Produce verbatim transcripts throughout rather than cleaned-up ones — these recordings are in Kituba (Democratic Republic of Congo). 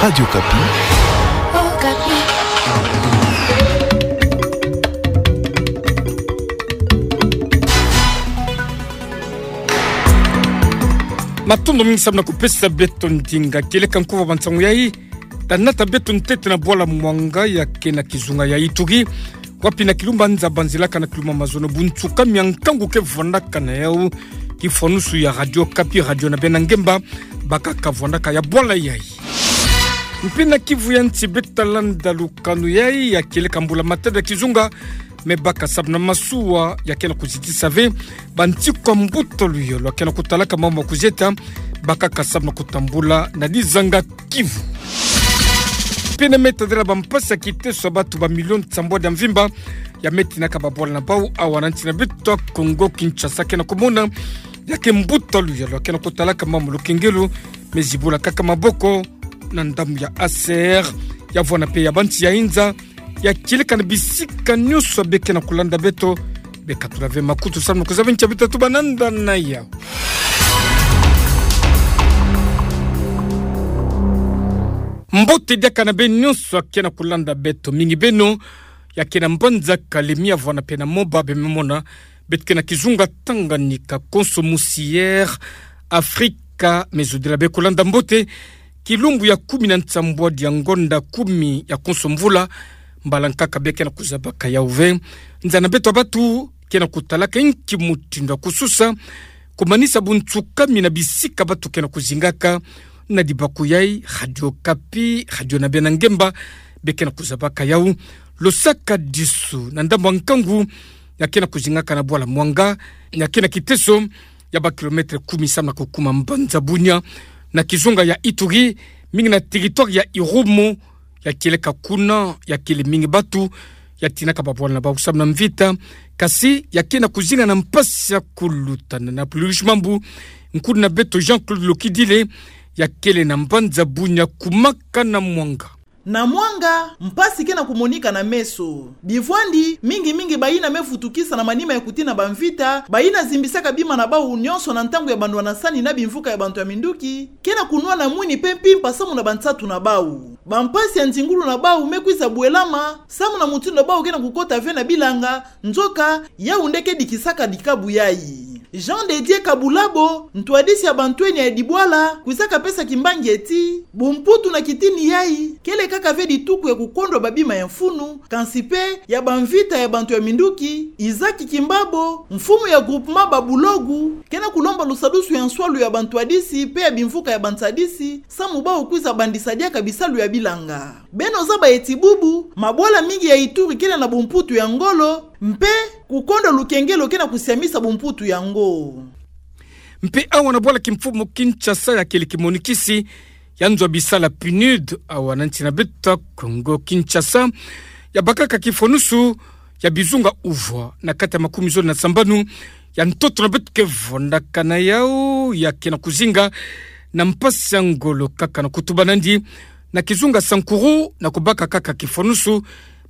Radio Okapi. Matondo mingi samu na kupesa beto ndinga. Kieleka nkuva ba nsangu yai, tanata beto ntete na bwala Mwanga ya kena kizunga ya Ituri, wapi na kilumba nza banzilaka na kilumba mazono bunsuka mia nkangu ke vwandaka na yau, kifwanusu ya Radio Okapi, radio na bena ngemba, bakaka vwandaka ya bwala yai. Mpe na Kivu ya nsi beto ta landa lukanu yai ya kieleka mbula matadi ya kizunga, me baka samu na masuwa ya kena kuzitisa ve bantikwa mbuta luyolo ya kena kutalaka mambu ma kuzieta, bakaka samu na kutambula na dizanga Kivu. Mpe na me tadila bampasi ya kiteso ya batu ba milioni nsambwadi ya mvimba ya me tinaka babwala na bau awa na nsi na beto Kongo Kinshasa kena kumona, ya ke mbuta luyolo ya kena kutalaka mambu ma lukengelo, me zibula kaka maboko na ndambu ya A C R, ya vwanda mpe ya bansi ya inza, ya kieleka na bisika nionso ya be kena kulanda beto, be katula ve makutu samu na kuzaba ntia beto ta tuba nanda na yau. Mbote diaka na beno nionso ya kena kulanda beto, mingi beno ya kena mbanza Kalemie ya vwanda mpe na Moba, be me mona beto kena kizunga Tanganyika, konso musi Air Africa, me zodila be kulanda mbote kilumbu ya kumi na nsambwadi ya ngonda kumi ya konso mvula, mbala nkaka be kena kuzabaka yau ve. Nza na beto ya batu kena kutalaka inki mutindu ya kususa kumanisa bunsuka mina bisika batu kena kuzingaka. Na dibaku yai, Radio Okapi, radio na bena ngemba, be kena kuzabaka yau. Lusakadisu, na ndambu ya nkangu, ya kena kuzingaka na bwala Mwanga, ya kena kiteso ya ba kilomètre kumi samu na kukuma mbanza Bunia, na kizunga ya Ituri, mingi na territoire ya Irumu. Ya kieleka kuna, ya kele mingi batu ya tinaka babwala na bau samu na mvita, kasi ya kena kuzinga na mpasi ya kulutana. Na pulusi mambu, nkuna na beto Jean-Claude Lokidile, ya kele na mbanza Bunia kumaka na Mwanga. Na Mwanga, mpasi kena kumonika na meso. Bivwandi, mingi mingi bayina me vutukisa na manima ya kutina bamvita, bayina zimbisaka bima na bau nionso na ntangu ya bandwanasani na bimvuka ya bantu ya minduki, kena kunwana mwini mpe mpimpa samu na bansatu na bau. Bampasi ya nzingulu na bau me kwiza bwelama samu na mutindu bau kena kukota ve na bilanga, nzoka yau nde ke dikisaka dikabu yai. Jean de Dieu Kabulabo, ntwadisi ya bantwenya ya dibwala, kwizaka pesa kimbangi ti bumputu na kitini yai kele kaka ve dituku ya kukondwa babima ya mfunu, kansi mpe ya bamvita ya bantu ya minduki. Isaac Kimbabo, mfumu ya groupement Babulogu, kena kulomba lusadusu ya nswalu ya bantwadisi mpe ya bimvuka ya bansadisi, samu bau kwiza bandisa diaka bisalu ya bilanga. Beno zaba ti bubu, mabwala mingi ya Ituri kele na bumputu ya ngolo, mpe kukondwa lukengelo kena kusiamisa bumputu yango. Mpe awa na bwala kimfumu Kinshasa ya kele kimonikisi ya nzo ya bisala PNUD, awa na nsi na beto Kongo Kinshasa, ya bakaka kifwanusu ya bizunga uvwa na kati ya makumi zole na sambanu ya ntoto na beto ke vwandaka na yau, ya kena kuzinga na mpasi ya ngolo kaka na kutuba nandi na kizunga Sankuru, na kubaka kaka kifwanusu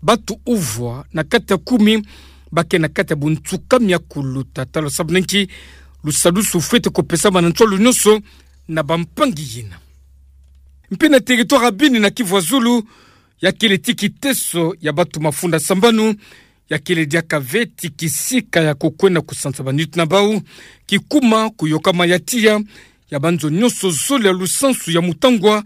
batu uvwa na kati ya kumi ba ke na kati ya bunsuka mia kuluta. Tala sababu na nki lusadusu fwete kupesama na nswalu nionso na bampangi yina. Mpe na territoire ya Beni na Kivu ya Zulu, ya kele ti kiteso ya batu mafunda sambanu, ya kele diaka ve ti kisika ya kukwenda kusansa banitu na bau, kikuma kuyokama ya tiya ya banzo nionso zole ya lusansu ya mutangwa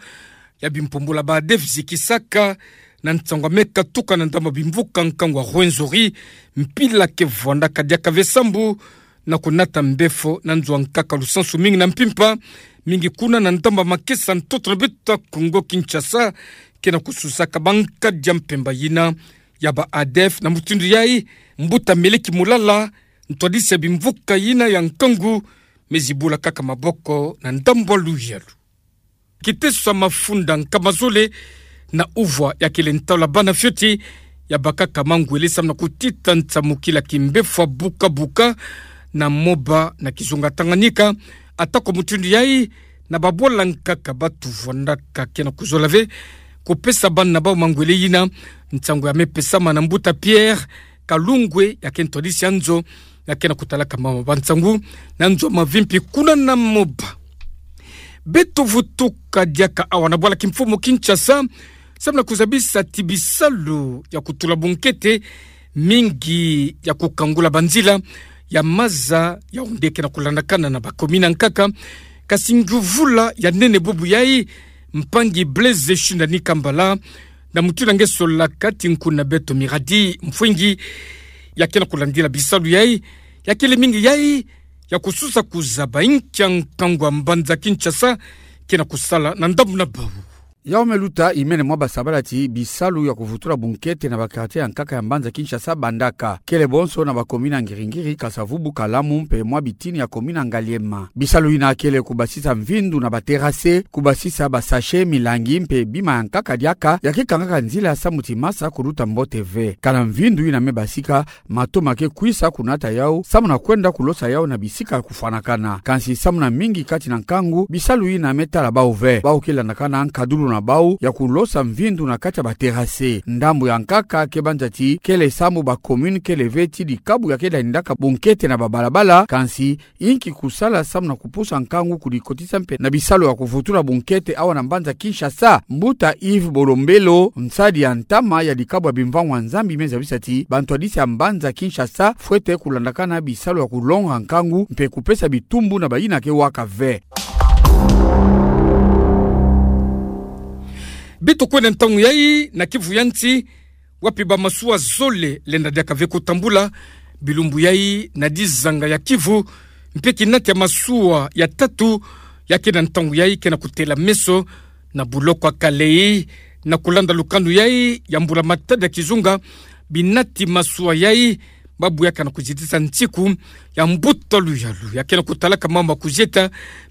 ya bimpumbula ba ADF zikisaka na nsangu ya me katuka na ndambu ya bimvuka nkangu ya Rwenzori, mpila ke vwandaka diaka ve sambu na kunata mbefo na nzo ya nkaka lusansu mingi na mpimpa, mingi kuna na ndambu ya makesa ntoto na beto Kongo Kinshasa, kena kususaka bankadi ya mpemba yina ya ba ADF. Na mutindu yai, mbuta Meleki Mulala, ntwadisi ya bimvuka yina ya nkangu, me zibula kaka maboko na ndambu ya luyalu. Kiteso ya mafunda nkama zole na uvwa ya kele ntaola bana fioti, ya bakaka mangwele samu na kutita nsamukila kimbefo ya buka-buka na Moba na kizunga Tanganyika. Atako mutindu yai, na babwala nkaka batu vwandaka kena kuzola ve kupesa bana na bau mangwele yina. Nsangu ya me pesama na mbuta Pierre Kalungwe, ya ke ntwadisi ya nzo ya kena kutalaka mama bansangu na nzo ya mavimpi kuna na Moba. Beto vutuka diaka awa na bwala kimfumu Kinshasa, samu na kuzabisa ti bisalu ya kutula bunkete, mingi ya kukangula banzila ya maza ya onde ke na kulandakana na bakomini ankaka. Kasi nguvula ya nene bubu yai, mpangi Blaise Shindani Kambala, na mutindu nge solaka ti nkuna beto Miradi Mfwingi, ya ke na kulandila bisalu yai, ya kele mingi yai ya kususa kuzaba inkia nkangu ya mbanza Kinshasa ke na kusala na ndambu na bau. Yau me luta imene mwa basabala ti bisalu ya kuvutula bunkete na ba quartier ankaka ya mbanza Kinshasa bandaka. Kele bonso na bakomini ya Ngiri-Ngiri, Kasa-Vubu, Kalamu mpe mwa bitini ya komini ya Ngaliema. Bisalu yina kele kubasisa mvindu na ba terrasse, kubasisa ba sachet, milangi mpe bima ya nkaka diaka, ya ke kangaka nzila samu ti masa kuluta mbote ve. Kana mvindu yina me basika, mato ma ke kwisa kunata yau, samu na kwenda kulosa yau na bisika kufwanakana. Kansi samu na mingi kati na nkangu, bisalu yina me tala bau ve. Bau ke landakana nkadulu na bau ya kulosa mvindu na kati ya ba terrasse. Ndambu ya nkaka ke banza ti kele sambu ba commune kele ve ti dikabu ya ke landaka bunkete na babalabala, kansi inki kusala samu na kupusa nkangu kudikotisa mpe na bisalu ya kuvutula bunkete awa na mbanza Kinshasa. Mbuta Yves Bolombelo, nsadi ya ntama ya dikabu ya bimvangu ya Nzambi, me zabisa ti bantwadisi ya mbanza Kinshasa fwete kulandakana bisalu ya kulonga nkangu mpe kupesa bitumbu na bayina ke waka ve. Beto kwenda ntangu yai na Kivu ya nsi, wapi bamasuwa zole lenda diaka ve kutambula bilumbu yai na dizanga ya Kivu, mpe kinati ya masuwa ya tatu ya ke na ntangu yai ke na kutela meso na buloko ya Kalehe. Na kulanda lukanu yai ya mbula-matadi ya kizunga, binati masuwa yai babu ya ke na kuzitisa nsiku ya mbuta luyalu ya ke na kutalaka mambu ya kuzieta,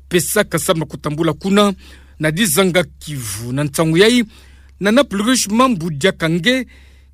pesaka samu na kutambula kuna na dizanga Kivu. Na ntangu yai, na napulushi mambu diaka nge,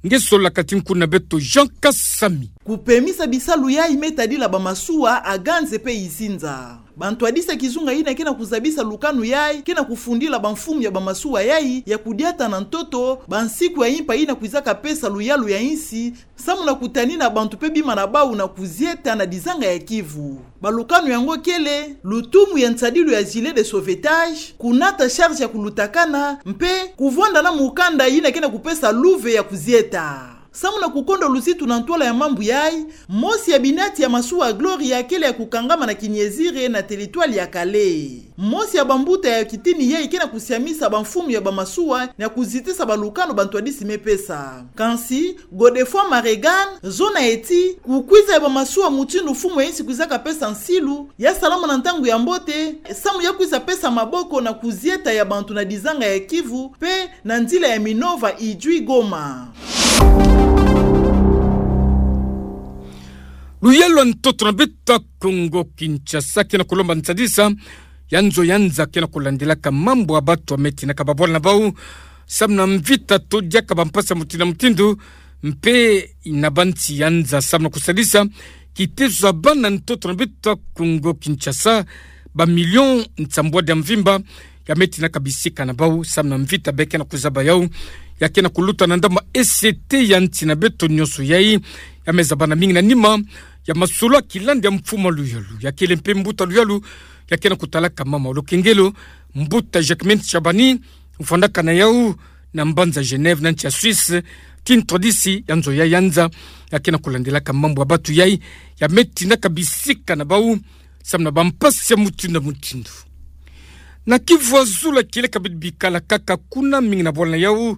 nge solaka ti nkuna beto Jean Kasami. Kupemisa bisalu yai me tadila bamasuwa, aganze mpe izinza. Bantwadisi ya kizunga yina ke na kuzabisa lukanu yai ke na kufundila bamfumu ya bamasuwa yai ya kudiata na ntoto bansiku ya impa yina kwizaka pesa luyalu ya insi, samu na kutanina bantu mpe bima na bau na kuzieta na dizanga ya Kivu. Balukanu yango kele lutumu ya nsadilu ya gilet de sauvetage, kunata charge ya kulutakana, mpe kuvwanda na mukanda yina ke na kupesa luve ya kuzieta. Samu na kukonda luzitu na ntwala ya mambu yai, mosi ya binati ya masuwa Gloria kele ya kukangama na Kiniezire na teritwali ya Kalehe. Mosi ya bambuta ya kitini yai ke na kusiamisa bamfumu ya bamasuwa na kuzitisa balukanu bantwadisi me pesa. Kansi, Godefroid Maregan, zona ye ti, kukwiza ya bamasuwa mutindu mfumu ya insi kwizaka pesa nsilu, ya salama na ntangu ya mbote, samu ya kwiza pesa maboko na kuzieta ya bantu na dizanga ya Kivu, mpe na nzila ya Minova, Idjwi, Goma. Luyalu ya ntoto na beto ya Kongo Kinshasa ke na kulomba nsadisa ya nzo ya nza ke na kulandilaka mambu ya batu ya me tinaka babwala na bau samu na mvita to diaka bampasi ya mutindu na mutindu, mpe na bansi ya nza samu na kusadisa kitezo ya bana ntoto na beto ya Kongo Kinshasa, bamilio nsambwadi ya mvimba, ya me tinaka bisika na bau samu na mvita be ke na kuzaba yau, ya ke na kuluta na ndambu ya E C T ya nsi na beto nyonso yai, ya me zabana mingi na nima ya masolo ya kilandi ya mfumu ya luyalu, ya kele mpe mbuta luyalu, ya ke na kutalaka mambu ya lukengelo, mbuta Jacquemain Tshabani, vwandaka na yau na mbanza Genève na nsi ya Suisse, ti ntwadisi ya nzo yai ya nza, ya ke na kulandilaka mambu ya batu yai, ya me tinaka bisika na bau samu na bampasi ya mutindu na mutindu. Na Kivu ya Zulu, kieleka beto bikala kaka kuna, mingi na bwala na yau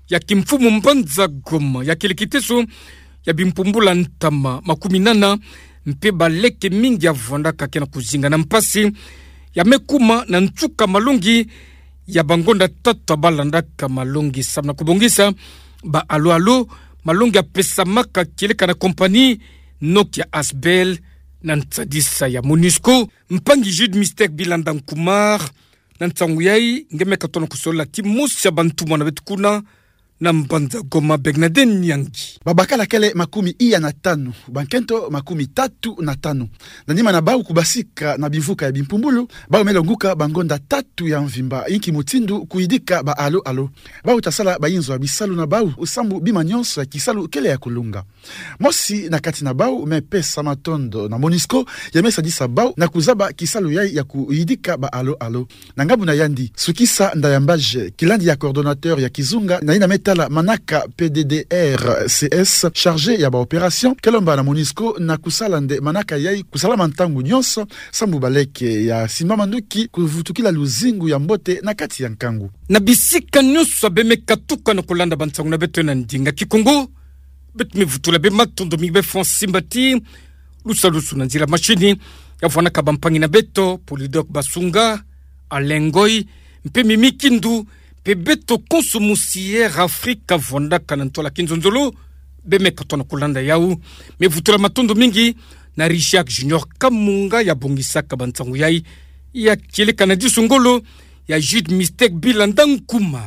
ya kimfumu mbanza Goma, ya kele kiteso ya bimpumbula ntama makuminana, mpe baleke mingi ya vwandaka ke na kuzinga na mpasi, ya me kuma na nsuka malongi ya bangonda tatu ya balandaka malongi samu na kubongisa ba alo-alo, malongi ya pesamaka kieleka na compagnie Nokia Asbl na nsadisa ya Monusco. Mpangi Jude Mystère Bilanda Nkumar, na nsangu yai, nge me katono kusolola ti mosi ya bantumwa na beto kuna, Na mbanza Goma, Bernadette Nyangi. Babakala kele makumi iya na tanu, bankento makumi tatu na tanu. Na nima na bau kubasika na bimvuka ya bimpumbulu, bau me longuka bangonda tatu ya mvimba, inki mutindu kuyidika ba alo-alo. Bau ta sala bayinzo ya bisalu na bau, sambu bima nyonso ya kisalu kele ya kulunga. Mosi na kati na bau me pesa matondo na MONUSCO, ya me sadisa bau na kuzaba kisalu yai ya kuyidika ba alo-alo. Na ngambu na yandi, Sukisa Ndayambaje, kilandi ya coordonnateur ya kizunga na yina me tala manaka P D D R C S, chargé ya ba opération, ke lomba na MONUSCO na kusala nde manaka yai kusalama ntangu nyonso, sambu baleke ya simba manduki kuvutukila luzingu ya mbote na kati ya nkangu. Na bisika nyonso abe me katuka na kulanda bansangu na beto na ndinga Kikongo, beto me vutula be matondo mingi be François Mbati, lusalusu na nzila mashini, ya vwanaka bampangi na beto, Polydor Basunga, Alain Ngoy, mpe Mimi Kindu, mpe beto konso musi Air Afrika vwanaka na ntwala kinzonzolo, be me katuka na kulanda yau. Me vutula matondo mingi na Richard Junior Kamunga ya bongisaka bansangu yai, ya kieleka na disu ngolo, ya Jude Mistake Bilanda Nkuma.